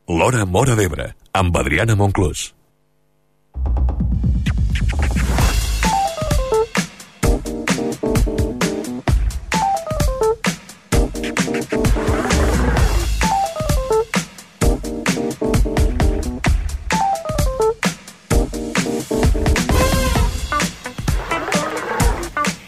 L'Hora Móra d'Ebre, amb Adriana Monclús.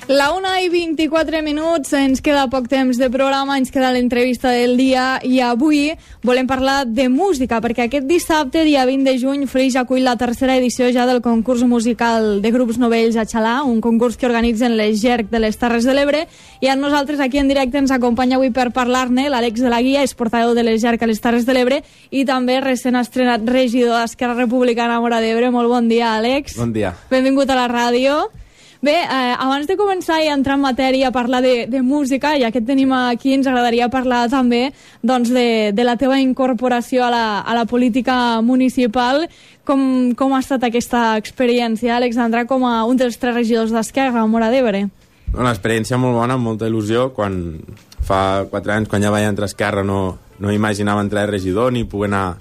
La 1:24, ens queda poc temps de programa, ens queda l'entrevista del dia i avui volem parlar de música perquè aquest dissabte, dia 20 de juny, Flix acull la tercera edició ja del concurs musical de grups novells a Xalà, un concurs que organitzen les GERC de les Terres de l'Ebre, i a nosaltres aquí en directe ens acompanya avui per parlar-ne l'Àlex de la Guia, és portaveu de les GERC a les Terres de l'Ebre i també recent estrenat regidor d'Esquerra Republicana a Móra d'Ebre. Molt bon dia, Àlex. Bon dia. Benvingut a la ràdio. Bé, abans de començar i entrar en matèria a parlar de música, ja que et tenim aquí, ens agradaria parlar també doncs, de la teva incorporació a la política municipal. Com ha estat aquesta experiència, Alexandra, com a un dels 3 regidors d'Esquerra a Móra d'Ebre? Una experiència molt bona, amb molta il·lusió. Fa 4 anys, quan ja vaig entrar a Esquerra, no imaginava entrar de regidor ni poder anar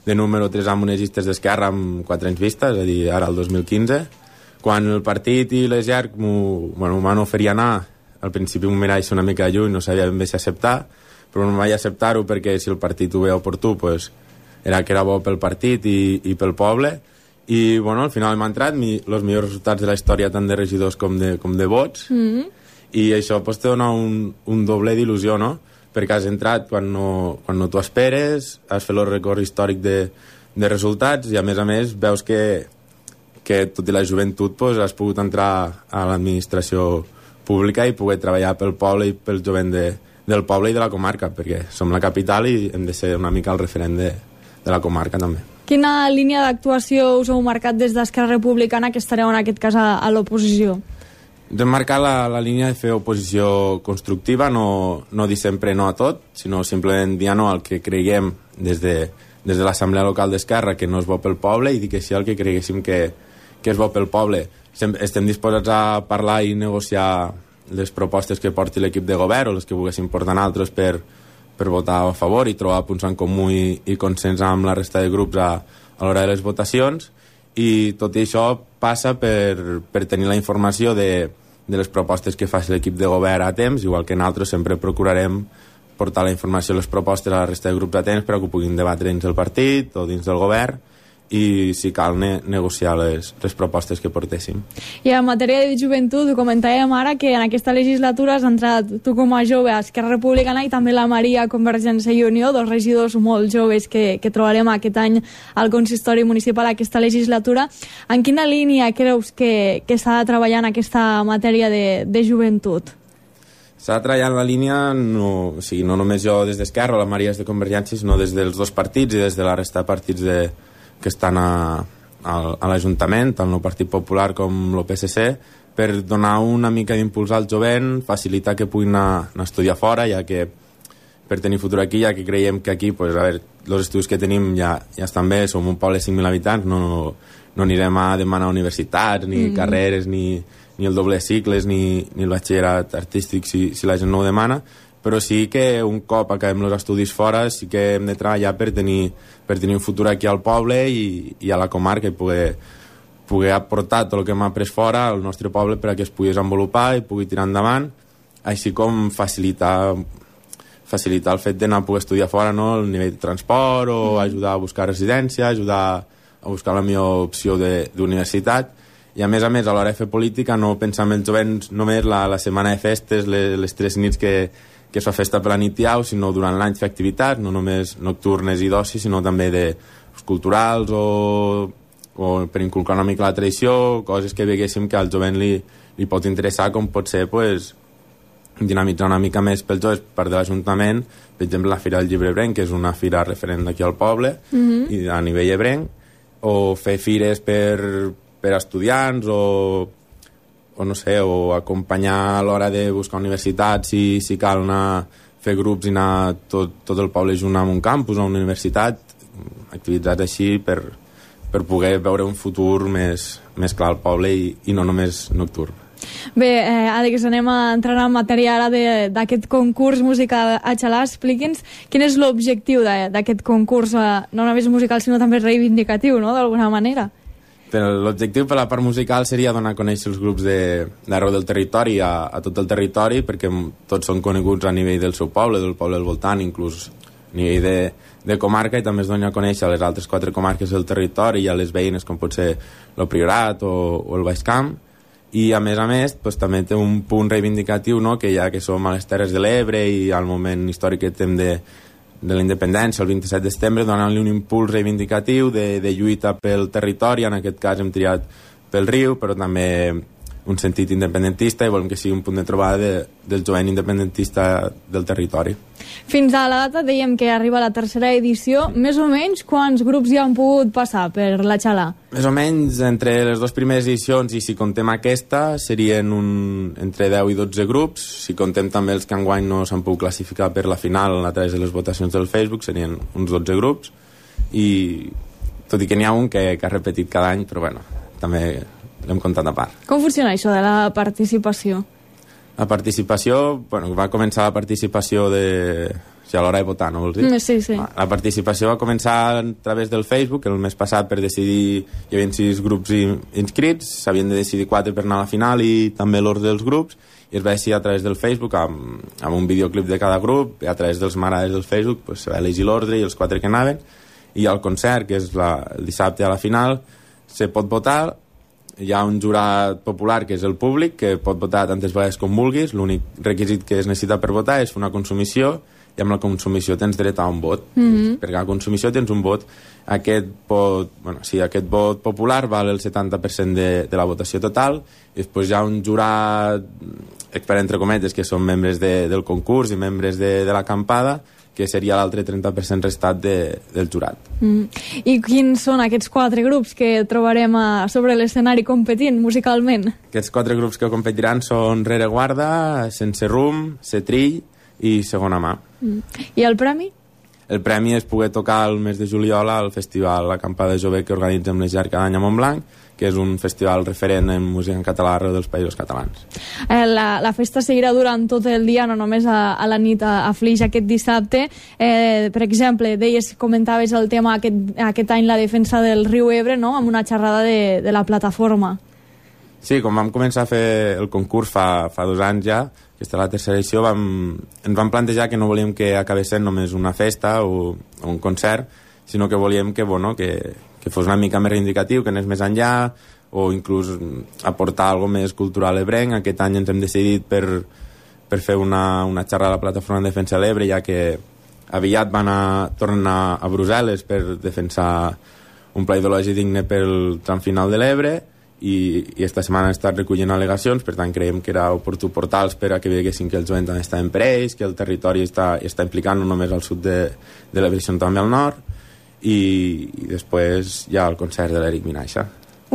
de número 3 amb unes llistes d'Esquerra amb 4 anys vistes, és a dir, ara el 2015. Quan el partit i les GERC m'ho van oferir anar, al principi m'ho mirava una mica de lluny, no sabia ben bé si acceptar, però no vaig acceptar-ho perquè si el partit ho veia oportú, pues, era que era bo pel partit i pel poble. I al final m'ha entrat els millors resultats de la història, tant de regidors com de vots, i això pues, te dona un doble d'il·lusió, no? Perquè has entrat quan no t'ho esperes, has fet el record històric de resultats i a més veus que tot i la joventut pues, has pogut entrar a l'administració pública i poder treballar pel poble i pel jovent del poble i de la comarca, perquè som la capital i hem de ser una mica el referent de la comarca també. Quina línia d'actuació us heu marcat des d'Esquerra Republicana, que estareu en aquest cas a l'oposició? Hem marcat la línia de fer oposició constructiva, no dir sempre no a tot, sinó simplement dir no al que creiem des de l'Assemblea Local d'Esquerra que no és bo pel poble i dir que sí al que creguéssim que és bo pel poble. Estem disposats a parlar i negociar les propostes que porti l'equip de govern o les que volguessin portar altres per votar a favor i trobar punts en comú i consens amb la resta de grups a l'hora de les votacions, i tot i això passa per tenir la informació de les propostes que faci l'equip de govern a temps, igual que nosaltres sempre procurarem portar la informació i les propostes a la resta de grups a temps perquè ho puguin debatre dins del partit o dins del govern i si cal negociar les propostes que portéssim. I en matèria de joventut, ho comentàvem ara que en aquesta legislatura has entrat tu com a jove a Esquerra Republicana i també la Maria a Convergència i Unió, 2 regidors molt joves que trobarem aquest any al consistori municipal aquesta legislatura. En quina línia creus que s'ha de treballar en aquesta matèria de joventut? S'ha de treballar en la línia, no només jo des d'Esquerra o la Maria és de Convergència, sinó des dels 2 partits i des de la resta de partits que estan a l'Ajuntament, tant el Partit Popular com el PSC, per donar una mica d'impuls al jovent, facilitar que puguin anar a estudiar fora, ja que per tenir futur aquí, ja que creiem que aquí, pues, a veure, els estudis que tenim ja estan bé, som un poble de 5.000 habitants, no anirem a demanar universitats, ni carreres, ni el doble de cicles, ni el batxillerat artístic, si la gent no ho demana, però sí que un cop acabem els estudis fora sí que hem de treballar per tenir un futur aquí al poble i a la comarca i poder aportar tot el que hem après fora al nostre poble perquè es pugui desenvolupar i pugui tirar endavant, així com facilitar el fet d'anar a poder estudiar fora, no? El nivell de transport o ajudar a buscar residència, ajudar a buscar la millor opció d'universitat. I a més, a l'hora de fer política no pensar en els jovents només la setmana de festes, les 3 nits que es fa festa per la nit i au, sinó durant l'any fer activitats, no només nocturnes i d'oci, sinó també de culturals o per inculcar una mica la tradició, coses que veguéssim que al jovent li pot interessar, com pot ser pues, dinamitzar una mica més pels joves per de l'Ajuntament, per exemple la Fira del Llibre Ebrenc, que és una fira referent d'aquí al poble, i a nivell ebrenc, o fer fires per estudiants o no sé, o acompanyar a l'hora de buscar universitats si cal anar a fer grups i anar tot el poble junt amb un campus o una universitat, activitats així per poder veure un futur més clar al poble i no només nocturn. Bé, Àlex, anem a entrar en matèria ara d'aquest concurs musical a Xalà. Expliqui'ns quin és l'objectiu d'aquest concurs, no només musical, sinó també reivindicatiu, no?, d'alguna manera. L'objectiu per la part musical seria donar a conèixer els grups d'arreu del territori a tot el territori, perquè tots són coneguts a nivell del seu poble, del poble del voltant, inclús a nivell de comarca, i també es dona a conèixer a les altres 4 comarques del territori i a les veïnes, com pot ser el Priorat o el Baix Camp. I a més, doncs, també té un punt reivindicatiu, no?, que ja que som a les Terres de l'Ebre i al moment històric que tem de la independència, el 27 de setembre, donant-li un impuls reivindicatiu de lluita pel territori. En aquest cas hem triat pel riu, però també un sentit independentista, i volem que sigui un punt de trobada del jovent independentista del territori. Fins a la data dèiem que arriba la tercera edició. Més o menys quants grups hi han pogut passar per la Xalà? Més o menys entre les 2 primeres edicions, i si contem aquesta, serien entre 10 i 12 grups. Si contem també els que enguany no s'han pogut classificar per la final a través de les votacions del Facebook, serien uns 12 grups. I tot i que n'hi ha un que ha repetit cada any, però bueno, també l'hem comptat a part. Com funciona això de la participació? La participació, bueno, va començar la participació a l'hora de votar, no vols dir? Sí. La participació va començar a través del Facebook, el mes passat, per decidir, hi havia 6 grups inscrits, s'havien de decidir 4 per anar a la final i també l'ordre dels grups, i es va decidir a través del Facebook amb un videoclip de cada grup, i a través dels m'agrades del Facebook pues, se va elegir l'ordre i els 4 que anaven, i al concert, que és el dissabte a la final, se pot votar. Hi ha un jurat popular, que és el públic, que pot votar tantes vegades com vulguis. L'únic requisit que es necessita per votar és fer una consumició, i amb la consumició tens dret a un vot. Per cada consumició tens un vot. Aquest vot popular val el 70% de la votació total, i després hi ha un jurat, expert entre cometes, que són membres del concurs i membres de l'acampada, que seria l'altre 30% restat del jurat. I quins són aquests 4 grups que trobarem sobre l'escenari competint musicalment? Aquests 4 grups que competiran són Rereguarda, Sense Rum, Setrill i Segona Mà. I el premi? El premi és poder tocar el mes de juliol al festival Acampada Jove que organitzem l'Esjar cada any a Montblanc, que és un festival referent en música en català arreu dels països catalans. La festa seguirà durant tot el dia, no només a la nit a Flix aquest dissabte. Per exemple, comentaves el tema aquest any, la defensa del riu Ebre, no?, amb una xerrada de la plataforma. Sí, com vam començar a fer el concurs fa 2 anys ja, aquesta és la tercera edició, ens vam plantejar que no volíem que acabés sent només una festa o un concert, sinó que volíem que fos una mica més reivindicatiu, que anés més enllà, o inclús aportar alguna més cultural ebrenc. Aquest any ens hem decidit per fer una xerrada a la plataforma de defensa de l'Ebre, ja que aviat van tornar a Brussel·les per defensar un pla ideològic digne pel tram final de l'Ebre, i esta setmana han estat recollint al·legacions. Per tant, creiem que era oportú portar-los per a que veiessin que el jovent també està per ells, que el territori està implicant no només al sud de l'Ebre, sinó també al nord. I després hi ha el concert de l'Eric Minaixa.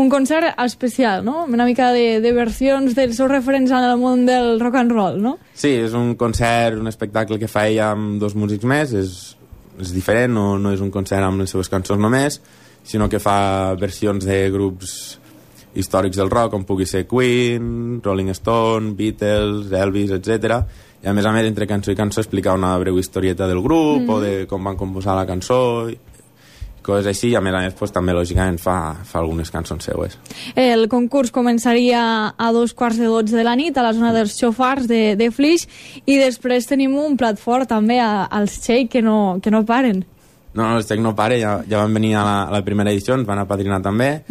Un concert especial, no? Una mica de versions dels seus referents en el món del rock and roll, no? Sí, és un concert, un espectacle que fa ella amb 2 músics més, és diferent, no és un concert amb les seves cançons només, sinó que fa versions de grups històrics del rock, com pugui ser Queen, Rolling Stone, Beatles, Elvis, etc. I a més, entre cançó i cançó, explicar una breu historieta del grup, o de com van composar la cançó, coses així, i a més, pues, també lògicament fa algunes cançons seues. El concurs començaria a 2:15 de la nit a la zona dels xofars de Flix, i després tenim un plat fort també als Txec que no paren. No, els Txec no paren, ja van venir a la primera edició, ens van apadrinar també,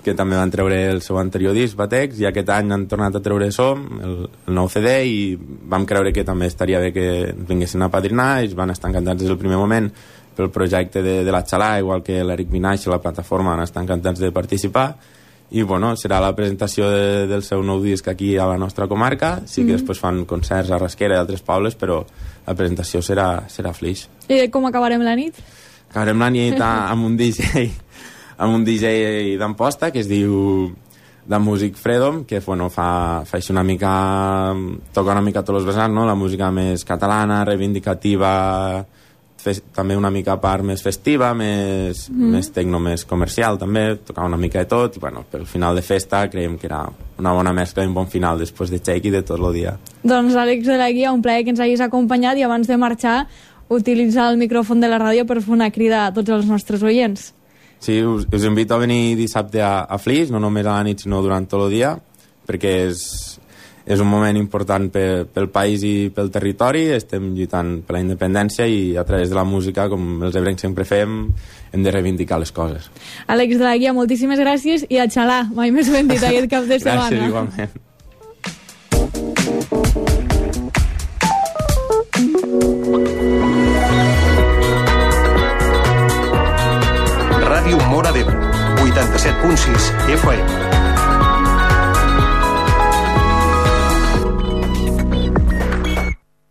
que també van treure el seu anterior disc, Batex, i aquest any han tornat a treure Som, el nou CD, i vam creure que també estaria bé que ens vinguessin a apadrinar, i es van estar encantats des del primer moment pel projecte de la Xalà, igual que l'Eric Minaix i la plataforma van estar encantats de participar, i bueno, serà la presentació del seu nou disc aquí a la nostra comarca. Sí que després fan concerts a Rasquera i altres pobles, però la presentació serà a Flix. I com acabarem la nit? Acabarem la nit amb un DJ d'Amposta que es diu The Music Freedom, que fa així una mica, toca una mica tots els vessants, no? La música més catalana, reivindicativa, també una mica a part més festiva, més tecno, més comercial també, tocava una mica de tot i bueno, pel final de festa creiem que era una bona mescla i un bon final després de Chequi de tot el dia. Doncs Àlex de la Guia, un plaer que ens hagis acompanyat i abans de marxar utilitzar el micròfon de la ràdio per fer una crida a tots els nostres oients. Sí, us invito a venir dissabte a Flix, no només a la nit sinó durant tot el dia, perquè és un moment important pel país i pel territori, estem lluitant per la independència i a través de la música, com els ebrencs sempre fem, hem de reivindicar les coses. Àlex de la Guia, moltíssimes gràcies i a xalar, mai més ben dit aquest cap de setmana. Gràcies, igualment. Ràdio Móra d'Ebre, 87.6 FM.